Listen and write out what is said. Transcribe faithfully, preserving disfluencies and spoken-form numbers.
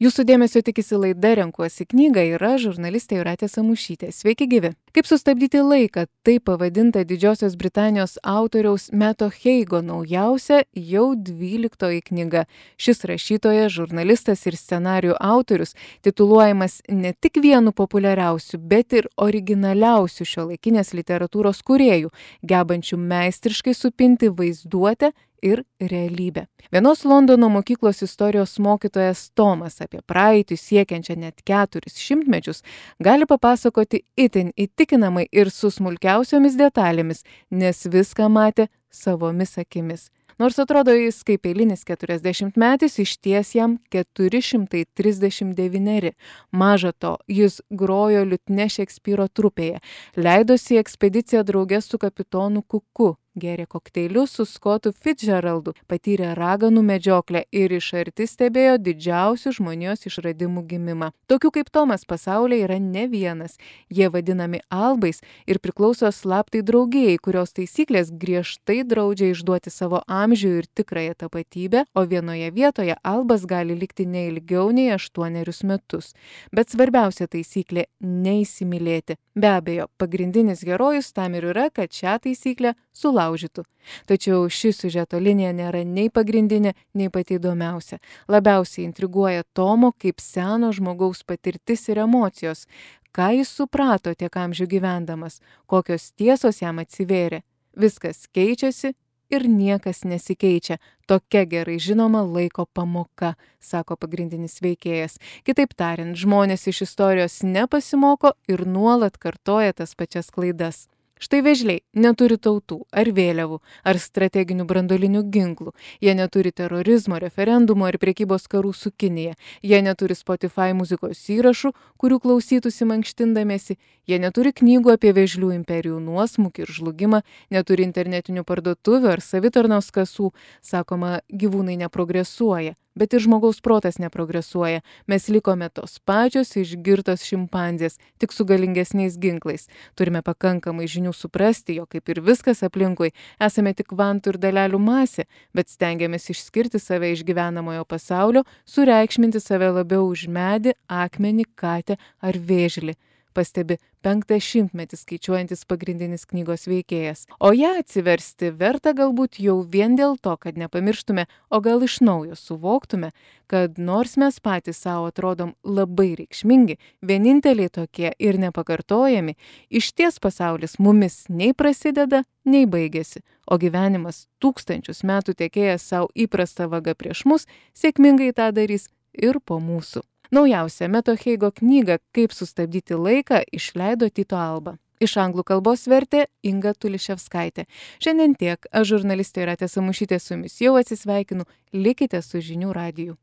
Jūsų dėmesio tikisi laida Renkuosi knygą ir aš, žurnalistė Jūratė Samušytė. Sveiki gyvi. Kaip sustabdyti laiką? Tai pavadinta Didžiosios Britanijos autoriaus Meto Heigo naujausia jau dvyliktoji knyga. Šis rašytojas, žurnalistas ir scenarijų autorius tituluojamas ne tik vienu populiariausių, bet ir originaliausių šiuolaikinės literatūros kūrėjų, gebančių meistriškai supinti vaizduotę ir realybę. Vienos Londono mokyklos istorijos mokytojas Tomas apie praeitį siekiančią net keturis šimtmečius gali papasakoti itin įtikinamai ir su smulkiausiomis detalėmis, nes viską matė savomis akimis. Nors atrodo jis kaip eilinis keturiasdešimtmetis, išties jam keturi šimtai trisdešimt devyneri. Maža to, jis grojo liutnia Šekspyro trupėje, leidosi į ekspediciją drauge su kapitonu Kuku, gėrė kokteilius su Skotu Fitzgeraldu, patyrė raganų medžioklę ir iš arti stebėjo didžiausių žmonijos išradimų gimimą. Tokių kaip Tomas pasaulyje yra ne vienas. Jie vadinami albais ir priklauso slaptai draugijai, kurios taisyklės griežtai draudžia išduoti savo amžių ir tikrąją tapatybę, o vienoje vietoje albas gali likti ne ilgiau nei aštuonerius metus. Bet svarbiausia taisyklė – neįsimylėti. Be abejo, pagrindinis herojus tam ir yra, kad šią taisyklę sulaužytų. Tačiau ši siužeto linija nėra nei pagrindinė, nei pati įdomiausia. Labiausiai intriguoja Tomo kaip seno žmogaus patirtis ir emocijos. Ką jis suprato tiek amžių gyvendamas, kokios tiesos jam atsivėrė. Viskas keičiasi ir niekas nesikeičia. Tokia gerai žinoma laiko pamoka, sako pagrindinis veikėjas. Kitaip tariant, žmonės iš istorijos nepasimoko ir nuolat kartoja tas pačias klaidas. Štai vėžliai neturi tautų ar vėliavų, ar strateginių branduolinių ginklų. Jie neturi terorizmo, referendumo ir prekybos karų su Kinija. Jie neturi Spotify muzikos įrašų, kurių klausytųsi mankštindamiesi. Jie neturi knygų apie vėžlių imperijų nuosmukį ir žlugimą, neturi internetinių parduotuvių ar savitarnos kasų. Sakoma, gyvūnai neprogresuoja. Bet ir žmogaus protas neprogresuoja. Mes likome tos pačios išgirtos šimpanzės, tik su galingesniais ginklais. Turime pakankamai žinių suprasti, jog kaip ir viskas aplinkui, esame tik kvantų ir dalelių masė, bet stengiamės išskirti save iš gyvenamojo pasaulio, sureikšminti save labiau už medį, akmenį, katę ar vėžlį. Pastebi penktą šimtmetį skaičiuojantis pagrindinis knygos veikėjas. O ją atsiversti verta galbūt jau vien dėl to, kad nepamirštume, o gal iš naujo suvoktume, kad nors mes patys savo atrodom labai reikšmingi, vieninteliai tokie ir nepakartojami, išties pasaulis mumis nei prasideda, nei baigėsi, o gyvenimas tūkstančius metų tekėjęs savo įprastą vagą prieš mus, sėkmingai tą darys ir po mūsų. Naujausią Meto Heigo knygą Kaip sustabdyti laiką išleido Tyto Alba. Iš anglų kalbos vertė Inga Tuliševskaitė. Šiandien tiek. Aš žurnalistė Jūratė Samušytė su jumis jau atsisveikinu. Likite su Žinių radiju.